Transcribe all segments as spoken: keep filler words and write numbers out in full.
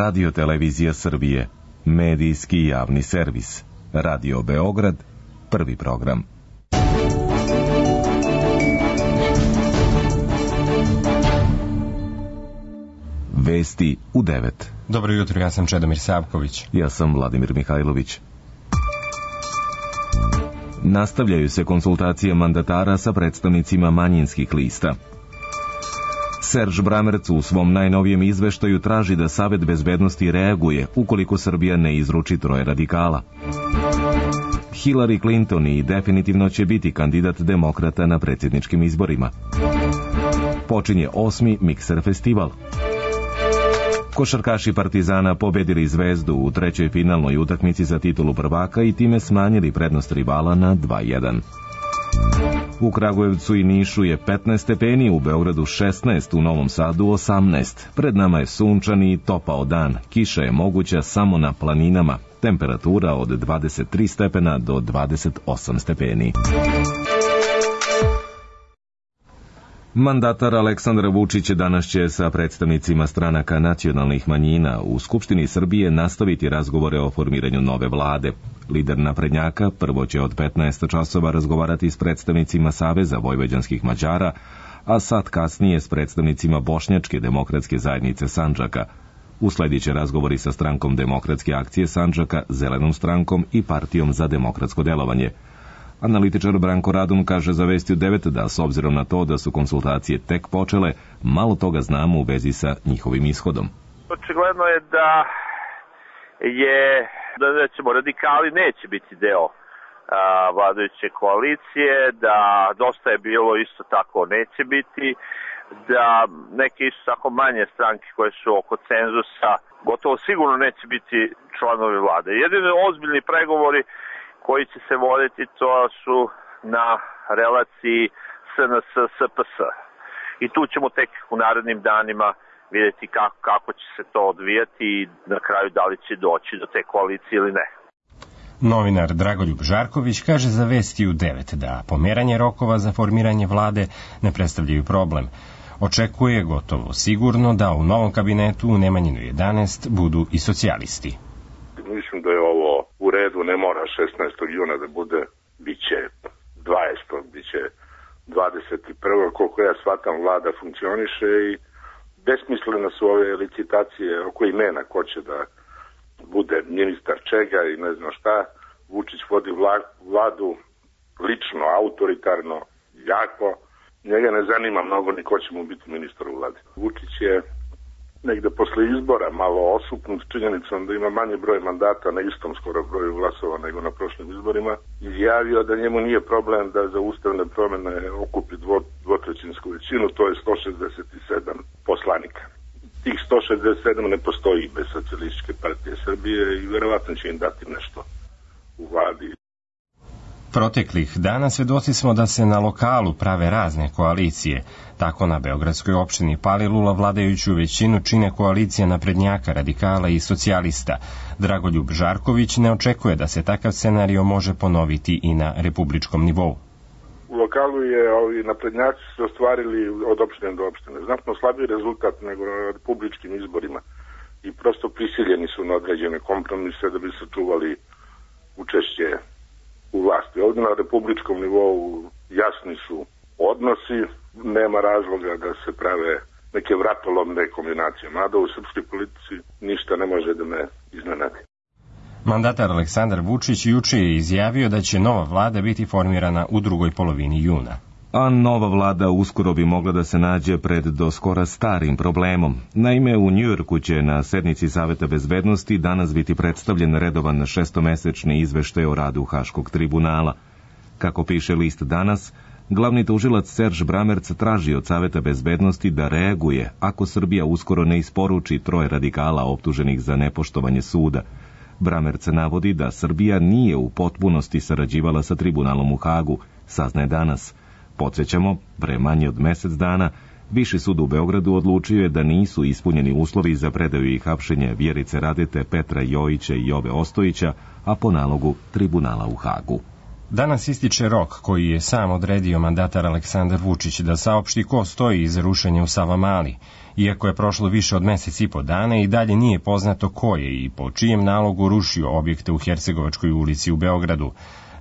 Radio Televizija Srbije, medijski javni servis. Radio Beograd, prvi program. Vesti u devet. Dobro jutro, ja sam Čedomir Savković. Ja sam Vladimir Mihajlović. Nastavljaju se konsultacije mandatara sa predstavnicima manjinskih lista. Serž Bramerc u svom najnovijem izveštaju traži da Savet bezbednosti reaguje ukoliko Srbija ne izruči troje radikala. Hillary Clinton i definitivno će biti kandidat demokrata na predsjedničkim izborima. Počinje osmi Mikser festival. Košarkaši Partizana pobedili Zvezdu u trećoj finalnoj utakmici za titulu prvaka i time smanjili prednost rivala na dva jedan. U Kragujevcu i Nišu je petnaest stepeni, u Beogradu šesnaest, u Novom Sadu osamnaest. Pred nama je sunčan i topao dan. Kiša je moguća samo na planinama. Temperatura od dvadeset tri stepena do dvadeset osam stepeni. Mandatar Aleksandar Vučić danas će sa predstavnicima stranaka nacionalnih manjina u Skupštini Srbije nastaviti razgovore o formiranju nove vlade. Lider naprednjaka prvo će od petnaest časova razgovarati s predstavnicima Saveza vojvođanskih Mađara, a sat kasnije s predstavnicima Bošnjačke demokratske zajednice Sandžaka. Uslediće razgovori sa strankom Demokratske akcije Sandžaka, Zelenom strankom i Partijom za demokratsko delovanje. Analitičar Branko Radun kaže za Vesti u devet da s obzirom na to da su konsultacije tek počele, malo toga znamo u vezi sa njihovim ishodom. Očigledno je da je da recimo radikali neće biti deo a, vladajuće koalicije, da dosta je bilo isto tako neće biti, da neke isto tako manje stranke koje su oko cenzusa gotovo sigurno neće biti članovi vlade. Jedini ozbiljni pregovori koji će se voditi to su na relaciji S N S S P S. I tu ćemo tek u narednim danima vidjeti kako, kako će se to odvijati i na kraju da li će doći do te koalicije ili ne. Novinar Dragoljub Žarković kaže za Vesti u devet da pomeranje rokova za formiranje vlade ne predstavljaju problem. Očekuje gotovo sigurno da u novom kabinetu u Nemanjinu jedanaest budu i socijalisti. Mislim da je ovo u redu, ne mora šesnaestog juna da bude, bit će dvadesetog, bit će dvadeset prvog koliko ja shvatam vlada funkcioniše i besmislene su ove licitacije oko imena ko će da bude ministar čega i ne znam šta. Vučić vodi vladu lično, autoritarno, jako. Njega ne zanima mnogo ni ko će mu biti ministar u vladi. Vučić je negde posle izbora malo osupnut činjenicom da ima manji broj mandata na istom skoro broju glasova nego na prošlim izborima, izjavio da njemu nije problem da za ustavne promene okupi dvo, dvotrećinsku većinu, to je sto šezdeset sedam poslanika. Tih sto šezdeset sedam ne postoji bez Socijalističke partije Srbije i verovatno će im dati nešto u vladi. Proteklih dana svedoci smo da se na lokalu prave razne koalicije. Tako na beogradskoj opštini Palilula vladajuću većinu čine koalicija naprednjaka, radikala i socijalista. Dragoljub Žarković ne očekuje da se takav scenario može ponoviti i na republičkom nivou. U lokalu je ovi naprednjaci se ostvarili od opštine do opštine. Znatno slabiji rezultat nego na republičkim izborima i prosto prisiljeni su na određene kompromise da bi se čuvali učešće u vlasti. Ovdje na republičkom nivou jasni su odnosi, nema razloga da se prave neke vratolomne kombinacije. Mada u srpskoj politici ništa ne može da me iznenadi. Mandatar Aleksandar Vučić juče je izjavio da će nova vlada biti formirana u drugoj polovini juna. A nova vlada uskoro bi mogla da se nađe pred do skora starim problemom. Naime, u Njujorku će na sednici Saveta bezbednosti danas biti predstavljen redovan šestomesečni izveštaj o radu Haškog tribunala. Kako piše list Danas, glavni tužilac Serž Bramerc traži od Saveta bezbednosti da reaguje ako Srbija uskoro ne isporuči troje radikala optuženih za nepoštovanje suda. Bramerc navodi da Srbija nije u potpunosti sarađivala sa tribunalom u Hagu, saznaje Danas. Podsjećamo, pre manje od mesec dana, Viši sud u Beogradu odlučio je da nisu ispunjeni uslovi za predaju i hapšenje Vjerice Radete, Petra Jojića i Jove Ostojića, a po nalogu tribunala u Hagu. Danas ističe rok koji je sam odredio mandatar Aleksandar Vučić da saopšti ko stoji iza rušenja u Savamali. Iako je prošlo više od mesec i po dana i dalje nije poznato ko je i po čijem nalogu rušio objekte u Hercegovačkoj ulici u Beogradu.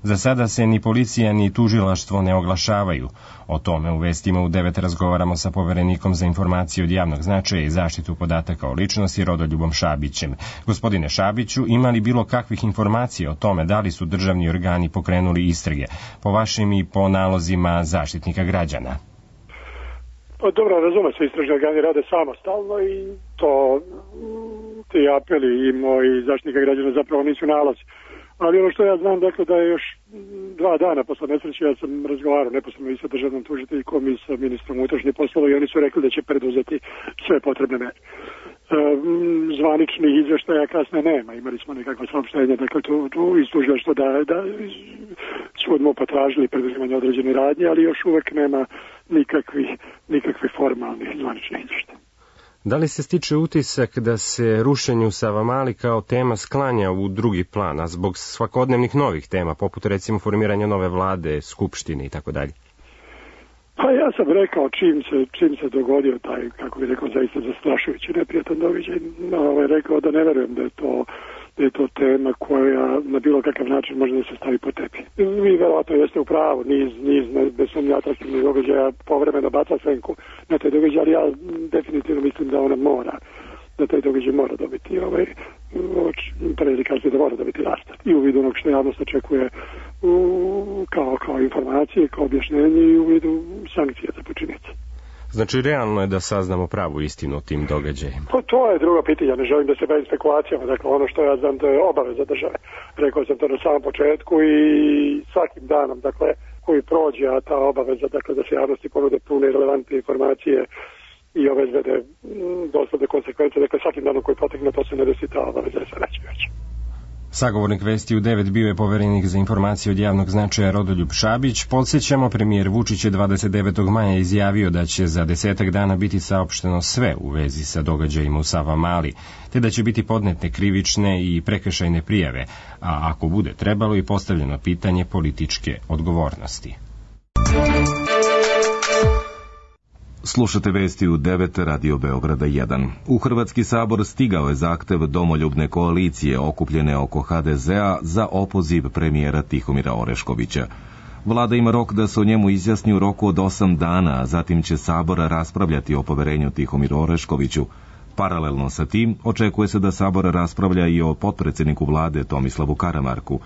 Za sada se ni policija ni tužilaštvo ne oglašavaju. O tome u vestima u devet razgovaramo sa poverenikom za informacije od javnog značaja i zaštitu podataka o ličnosti Rodoljubom Šabićem. Gospodine Šabiću, ima li bilo kakvih informacija o tome da li su državni organi pokrenuli istrage, po vašim i po nalozima Zaštitnika građana? Pa dobro, razume se, istražni organi rade samostalno i to ti apeli i moji Zaštitnika građana zapravo nisu nalazi. Ali ono što ja znam, dakle, da je još dva dana posle nesreće, ja sam razgovarao neposredno i sa državnom tužiteljkom i sa ministrom unutrašnjih poslova i oni su rekli da će preduzeti sve potrebne mere. Zvaničnih izveštaja kasne nema, imali smo nekakva saopštenja, dakle, tu, tu iz tužilaštva da, da su odmah potražili preduzimanje određene radnje, ali još uvek nema nikakvih, nikakvih formalnih zvaničnih izveštaja. Da li se stiče utisak da se rušenje u Savamali kao tema sklanja u drugi plan, a zbog svakodnevnih novih tema, poput recimo formiranja nove vlade, skupštine i tako dalje? Pa ja sam rekao čim se, čim se dogodio taj, kako bih rekao, zaista zastrašujući neprijatan događaj, ovaj, rekao da ne verujem da je to da je to tema koja na bilo kakav način može da se stavi po tepi. Vi verovatno jeste u pravu, niz, niz bez sumnje atraktivnih događaja povremeno baca senku na taj događaj, ali ja definitivno mislim da ona mora, da taj događaj mora dobiti ovaj, predikaciju da mora dobiti rastart. I u vidu onog što javnost očekuje u, kao, kao informacije, kao objašnjenje i u vidu sankcije za počinitelje. Znači, realno je da saznamo pravu istinu o tim događajima? To, to je drugo pitanje, ja ne želim da se bavim spekulacijama, dakle ono što ja znam to je obaveza države. Rekao sam to na samom početku i svakim danom, dakle, koji prođe, a ta obaveza, dakle, da se javnosti ponude pune i relevantne informacije i obezbede dosledne konsekvence, dakle, svakim danom koji potekne, to se ne desi, ta obaveza je sve veća i veća. Sagovornik Vesti u devet bio je poverenik za informacije od javnog značaja Rodoljub Šabić. Podsjećamo, premijer Vučić je dvadeset devetog maja izjavio da će za desetak dana biti saopšteno sve u vezi sa događajima u Savamali, te da će biti podnete krivične i prekršajne prijave, a ako bude trebalo i postavljeno pitanje političke odgovornosti. Slušate vesti u devet Radio Beograda jedan. U Hrvatski sabor stigao je zahtev domoljubne koalicije okupljene oko ha de zea za opoziv premijera Tihomira Oreškovića. Vlada ima rok da se o njemu izjasni u roku od osam dana, a zatim će sabor raspravljati o poverenju Tihomiru Oreškoviću. Paralelno sa tim, očekuje se da sabor raspravlja i o potpredsjedniku vlade Tomislavu Karamarku.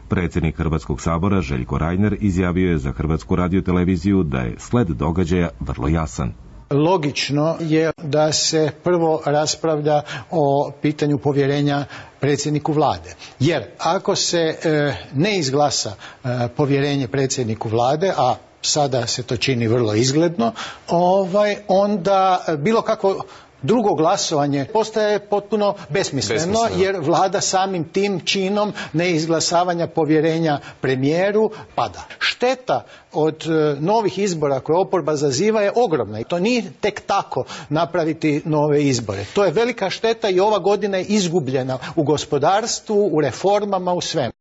Predsjednik Hrvatskog sabora Željko Reiner izjavio je za Hrvatsku radioteleviziju da je sled događaja vrlo jasan. Logično je da se prvo raspravlja o pitanju povjerenja predsjedniku vlade. Jer ako se e, ne izglasa e, povjerenje predsjedniku vlade, a sada se to čini vrlo izgledno, ovaj, onda bilo kakvo drugo glasovanje postaje potpuno besmisleno, besmisleno, jer vlada samim tim činom neizglasavanja povjerenja premijeru pada. Šteta od e, novih izbora koje oporba zaziva je ogromna i to nije tek tako napraviti nove izbore. To je velika šteta i ova godina je izgubljena u gospodarstvu, u reformama, u svemu.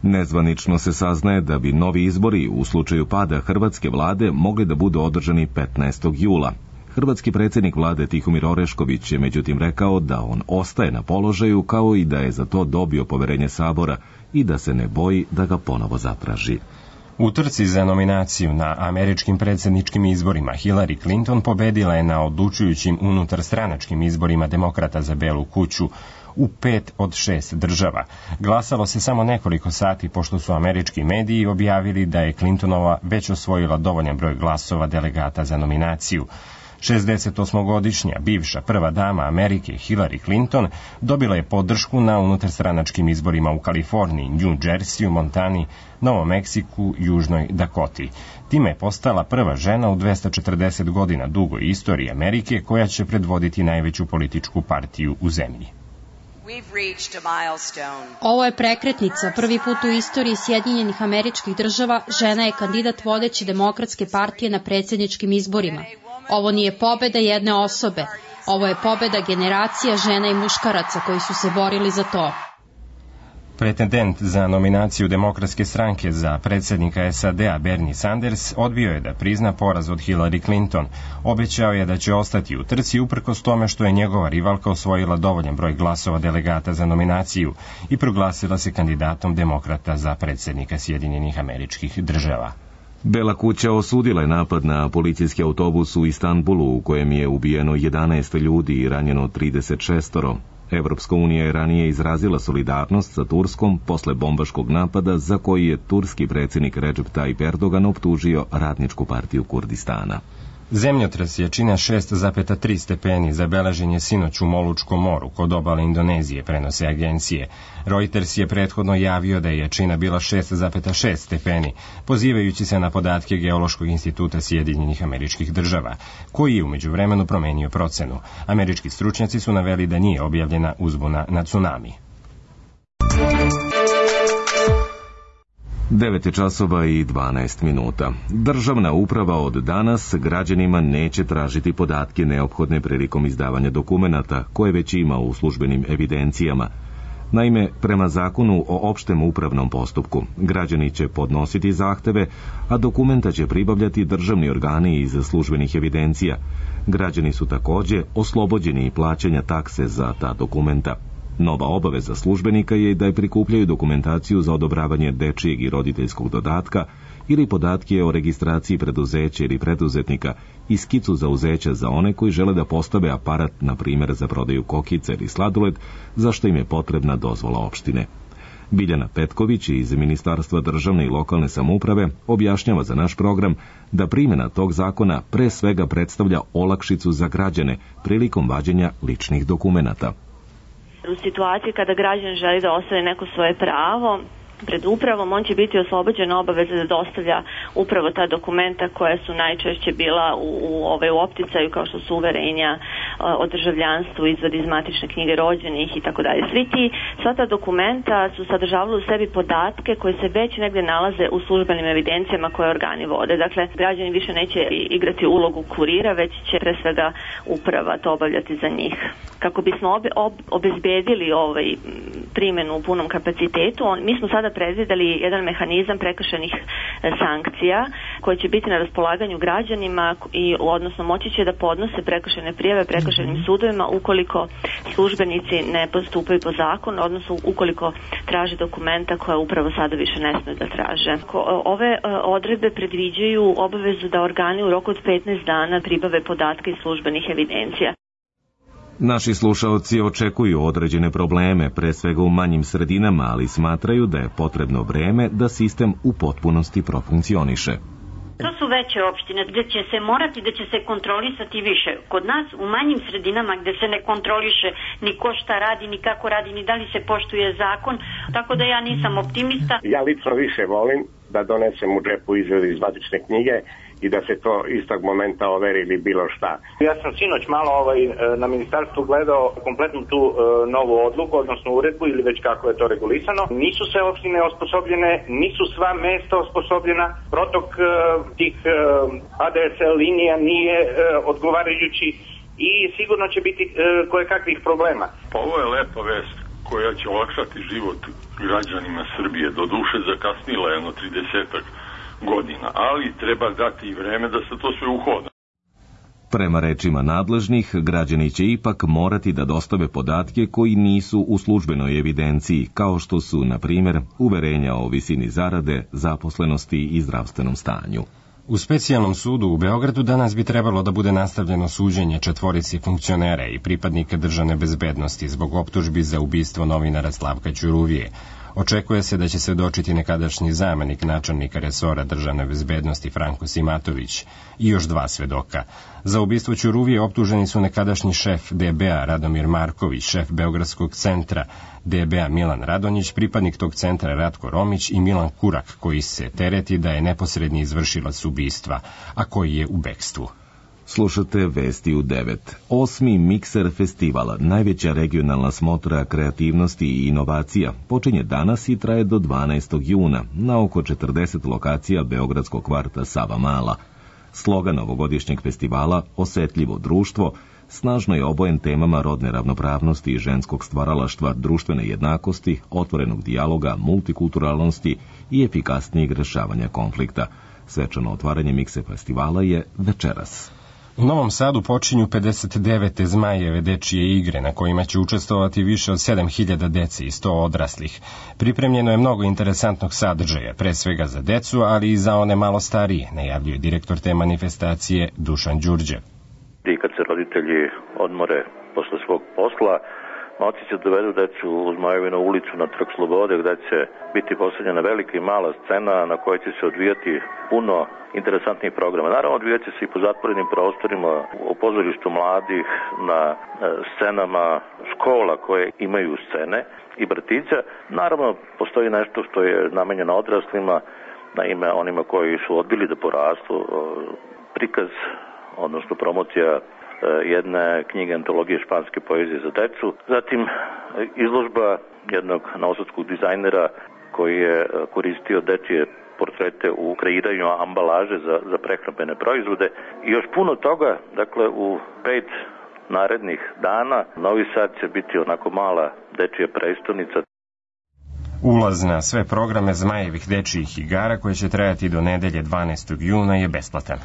Nezvanično se saznaje da bi novi izbori u slučaju pada hrvatske vlade mogli da budu održani petnaestog jula. Hrvatski predsjednik vlade Tihomir Orešković je međutim rekao da on ostaje na položaju, kao i da je za to dobio poverenje sabora i da se ne boji da ga ponovo zatraži. U trci za nominaciju na američkim predsjedničkim izborima Hillary Clinton pobedila je na odlučujućim unutarstranačkim izborima demokrata za Belu kuću u pet od šest država. Glasalo se samo nekoliko sati pošto su američki mediji objavili da je Clintonova već osvojila dovoljan broj glasova delegata za nominaciju. šezdesetosmogodišnja bivša prva dama Amerike Hillary Clinton dobila je podršku na unutarstranačkim izborima u Kaliforniji, New Jerseyu, Montani, Novom Meksiku, Južnoj Dakoti. Time je postala prva žena u dvesta četrdeset godina dugoj istoriji Amerike koja će predvoditi najveću političku partiju u zemlji. Ovo je prekretnica. Prvi put u istoriji Sjedinjenih Američkih Država žena je kandidat vodeće demokratske partije na predsjedničkim izborima. Ovo nije pobeda jedne osobe. Ovo je pobeda generacija žena i muškaraca koji su se borili za to. Pretendent za nominaciju Demokratske stranke za predsjednika S A D-a Bernie Sanders odbio je da prizna poraz od Hillary Clinton. Obećao je da će ostati u trci uprkos tome što je njegova rivalka osvojila dovoljan broj glasova delegata za nominaciju i proglasila se kandidatom demokrata za predsjednika Sjedinjenih Američkih Država. Bela kuća osudila je napad na policijski autobus u Istanbulu u kojem je ubijeno jedanaest ljudi i ranjeno trideset šest. Evropska unija je ranije izrazila solidarnost sa Turskom posle bombaškog napada za koji je turski predsjednik Recep Tayyip Erdogan optužio Radničku partiju Kurdistana. Zemljotres jačine šest zarez tri stepeni zabeležen je sinoć u Molučkom moru kod obale Indonezije, prenose agencije. Reuters je prethodno javio da je jačina bila šest zarez šest stepeni, pozivajući se na podatke Geološkog instituta Sjedinjenih Američkih Država, koji je u međuvremenu promenio procenu. Američki stručnjaci su naveli da nije objavljena uzbuna na tsunami. devet je časova i dvanaest minuta. Državna uprava od danas građanima neće tražiti podatke neophodne prilikom izdavanja dokumenata koje već ima u službenim evidencijama. Naime, prema zakonu o opštem upravnom postupku, građani će podnositi zahteve, a dokumenta će pribavljati državni organi iz službenih evidencija. Građani su takođe oslobođeni plaćanja takse za ta dokumenta. Nova obaveza službenika je da je prikupljaju dokumentaciju za odobravanje dečijeg i roditeljskog dodatka ili podatke o registraciji preduzeća ili preduzetnika i skicu zauzeća za one koji žele da postave aparat, na primjer za prodaju kokice ili sladoled, za što im je potrebna dozvola opštine. Biljana Petković iz Ministarstva državne i lokalne samouprave objašnjava za naš program da primjena tog zakona pre svega predstavlja olakšicu za građane prilikom vađenja ličnih dokumenata. U situaciji kada građan želi da ostvari neko svoje pravo pred upravom, on će biti oslobođen obaveze da dostavlja upravo ta dokumenta koja su najčešće bila u, u, ove, u opticaju, kao što su uverenja o državljanstvu, izvod iz matične knjige rođenih i tako dalje. Svi ti, sva ta dokumenta su sadržavali u sebi podatke koji se već negde nalaze u službenim evidencijama koje organi vode. Dakle, građani više neće igrati ulogu kurira, već će pre svega uprava to obavljati za njih. Kako bismo obe, ob, obezbedili ovaj primjenu u punom kapacitetu, on, mi smo sada predvideli jedan mehanizam prekršajnih sankcija koji će biti na raspolaganju građanima i odnosno moći će da podnose prekršajne prijave prekršajnim sudovima ukoliko službenici ne postupaju po zakonu, odnosno ukoliko traže dokumenta koja upravo sada više ne smiju da traže. Ove odredbe predviđaju obavezu da organi u roku od petnaest dana pribave podatke iz službenih evidencija. Naši slušaoci očekuju određene probleme, pre svega u manjim sredinama, ali smatraju da je potrebno vreme da sistem u potpunosti profunkcioniše. To su veće opštine gde će se morati, da će se kontrolisati više. Kod nas u manjim sredinama gde se ne kontroliše ni ko šta radi, ni kako radi, ni da li se poštuje zakon, tako da ja nisam optimista. Ja lično više volim da donesem u džepu izvod iz matične knjige i da se to istog momenta overi ili bilo šta. Ja sam sinoć malo ovaj, na ministarstvu gledao kompletnu tu e, novu odluku, odnosno uredbu ili već kako je to regulisano. Nisu sve opštine osposobljene, nisu sva mesta osposobljena, protok e, tih e, A D S L linija nije e, odgovarajući i sigurno će biti e, koje kakvih problema. Ovo je lepa vest koja će olakšati život građanima Srbije. Do duše zakasnila jedno tridesetak godina, ali treba dati i vreme da se to sve uhoda. Prema rečima nadležnih, građani će ipak morati da dostave podatke koji nisu u službenoj evidenciji, kao što su, na primjer, uverenja o visini zarade, zaposlenosti i zdravstvenom stanju. U specijalnom sudu u Beogradu danas bi trebalo da bude nastavljeno suđenje četvorici funkcionera i pripadnika državne bezbednosti zbog optužbi za ubistvo novinara Slavka Ćuruvije. Očekuje se da će svedočiti nekadašnji zamenik načelnika resora državne bezbednosti Franko Simatović i još dva svedoka. Za ubistvo Ćuruvije optuženi su nekadašnji šef D B A Radomir Marković, šef Beogradskog centra D B A Milan Radonjić, pripadnik tog centra Ratko Romić i Milan Kurak, koji se tereti da je neposredni izvršilac ubistva, a koji je u bekstvu. Slušate Vesti u devet. Osmi Mikser festival, najveća regionalna smotra kreativnosti i inovacija, počinje danas i traje do dvanaestog juna na oko četrdeset lokacija beogradskog kvarta Savamala. Slogan ovogodišnjeg festivala, osetljivo društvo, snažno je obojen temama rodne ravnopravnosti i ženskog stvaralaštva, društvene jednakosti, otvorenog dijaloga, multikulturalnosti i efikasnijeg rešavanja konflikta. Svečano otvaranje Mikse festivala je večeras. U Novom Sadu počinju pedeset devete Zmajeve dečije igre na kojima će učestvovati više od sedam hiljada dece i sto odraslih. Pripremljeno je mnogo interesantnog sadržaja, pre svega za decu, ali i za one malo starije, najavljuje direktor te manifestacije Dušan Đurđe. I kad se roditelji odmore posle svog posla, oci će dovedu decu u Zmajevinu ulicu na Trg Slobode, gde će biti postavljena velika i mala scena na kojoj će se odvijati puno interesantnih programa. Naravno, odvijat će se i po zatvorenim prostorima, u pozorištu mladih, na scenama škola koje imaju scene i vrtića. Naravno, postoji nešto što je namenjeno odraslima, na ime onima koji su odbili da porastu, prikaz, odnosno promocija jedne knjige antologije španske poezije za decu. Zatim izložba jednog novosadskog dizajnera koji je koristio dečije portrete u kreiranju ambalaže za, za prehrambene proizvode i još puno toga. Dakle, u pet narednih dana Novi Sad će biti onako mala dečija prestonica. Ulaz na sve programe Zmajevih dečijih igara koje će trajati do nedelje dvanaestog juna je besplatan.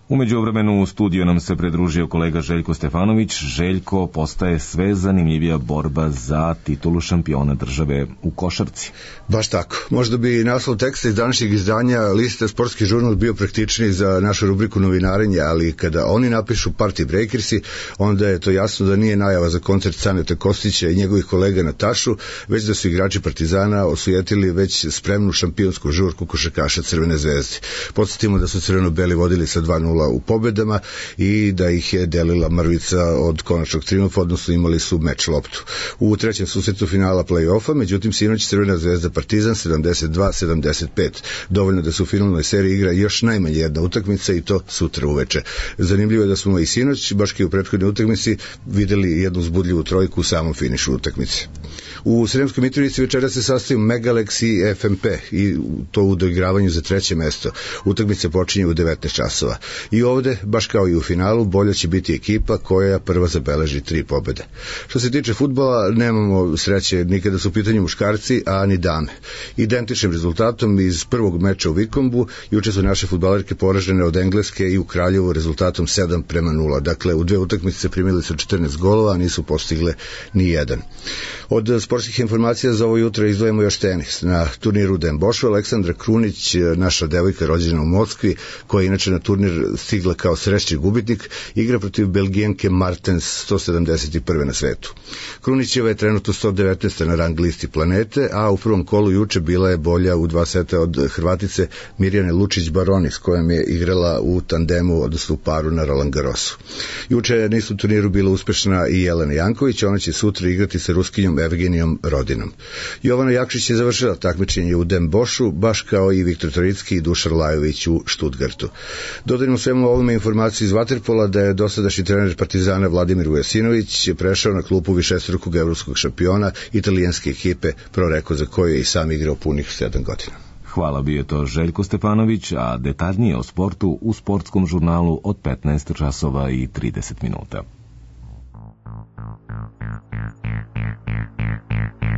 U međuvremenu u studiju nam se pridružio kolega Željko Stefanović. Željko, postaje sve zanimljivija borba za titulu šampiona države u košarci. Baš tako. Možda bi naslov teksta iz današnjeg izdanja liste Sportski žurnal bio praktičniji za našu rubriku novinarenja, ali kada oni napišu Party Breakersi, onda je to jasno da nije najava za koncert Caneta Kostića i njegovih kolega na tašu, već da su igrači Partizana osujetili već spremnu šampionsku žurku košarkaša Crvene zvezde. Podsjetimo da su crveno-beli vodili sa dva nula u pobedama i da ih je delila mrvica od konačnog triumfa, odnosno imali su meč loptu. U trećem susretu finala play-offa, međutim sinoć Crvena zvezda Partizan sedamdeset dva sedamdeset pet. Dovoljno da se u finalnoj seriji igra još najmanje jedna utakmica i to sutra uveče. Zanimljivo je da smo i sinoć, baš kao i u prethodnoj utakmici, videli jednu uzbudljivu trojku u samom finišu utakmice. U Sremskoj Mitrovici večera se sastaju Megalex i F M P i to u doigravanju za treće mesto. Utakmica počinje u devetnaest časova. I ovde, baš kao i u finalu, bolja će biti ekipa koja prva zabeleži tri pobede. Što se tiče fudbala, nemamo sreće ni kada su u pitanju muškarci, a ni dame. Identičnim rezultatom iz prvog meča u Vikombu juče su naše fudbalerke poražene od Engleske i u Kraljevu rezultatom sedam prema nula. Dakle, u dve utakmice primili su četrnaest golova, a nisu postigle ni jedan. Od sportskih informacija za ovo jutro izdvojimo još tenis. Na turniru u Den Boschu Aleksandra Krunić, naša devojka rođena u Moskvi, koja je inače na turnir stigla kao srećni gubitnik, igra protiv Belgijanke Martens, sto sedamdeset prve na svetu. Krunićeva je trenutno sto devetnaesta na rang listi planete, a u prvom kolu juče bila je bolja u dva seta od Hrvatice Mirjane Lučić-Baroni, s kojom je igrala u tandemu, odnosno u paru na Roland Garrosu. Juče na istom turniru bila uspešna i Jelena Janković, ona će sutra igrati sa Ruskinjom Evgenijom Rodinom. Jovana Jakšić je završila takmičenje u Den Boschu, baš kao i Viktor Toricki i Dušan Lajović u Stuttgartu. Dodajmo svemu ovome informaciju iz vaterpola da je dosadašnji trener Partizana Vladimir Vujasinović prešao na klupu višestrukog evropskog šampiona italijanske ekipe Pro Reko, za koju je i sam igrao punih sedam godina. Hvala, bio to Željko Stefanović, a detaljnije o sportu u sportskom žurnalu od petnaest časova i trideset minuta.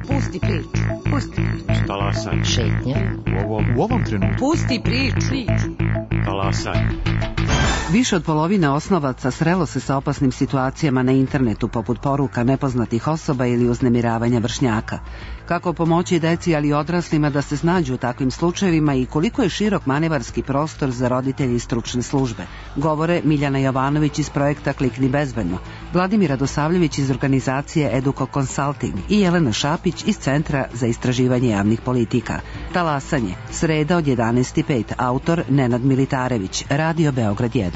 Pusti priču, pusti priču. Talasaj. Šetnja. U ovom, u ovom trenutku. Pusti priču. Talasaj. Više od polovine osnovaca srelo se sa opasnim situacijama na internetu, poput poruka nepoznatih osoba ili uznemiravanja vršnjaka. Kako pomoći deci, ali i odraslima da se snađu u takvim slučajevima i koliko je širok manevarski prostor za roditelje i stručne službe, govore Miljana Jovanović iz projekta Klikni bezbedno, Vladimir Radosavljević iz organizacije Educo Consulting i Jelena Šapić iz Centra za istraživanje javnih politika. Talasanje, sreda od jedanaest i pet, autor Nenad Militarević, Radio Beograd jedan.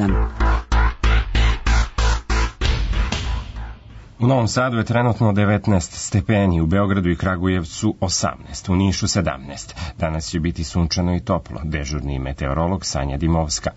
U Novom Sadu je trenutno devetnaest stepeni, u Beogradu i Kragujevcu osamnaest, u Nišu sedamnaest. Danas će biti sunčano i toplo, dežurni meteorolog Sanja Dimovska.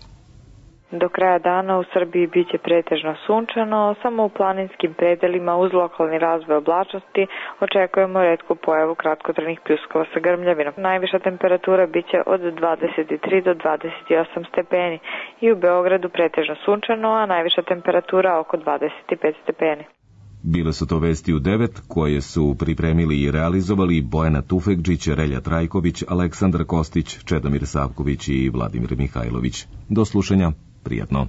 Do kraja dana u Srbiji biće pretežno sunčano, samo u planinskim predelima uz lokalni razvoj oblačnosti očekujemo retku pojavu kratkotrajnih pljuskova sa grmljavinom. Najviša temperatura biće od dvadeset tri do dvadeset osam stepeni i u Beogradu pretežno sunčano, a najviša temperatura oko dvadeset pet stepeni. Bile su to vesti u devet koje su pripremili i realizovali Bojana Tufekđić, Relja Trajković, Aleksandar Kostić, Čedomir Savković i Vladimir Mihajlović. Do slušanja, prijatno.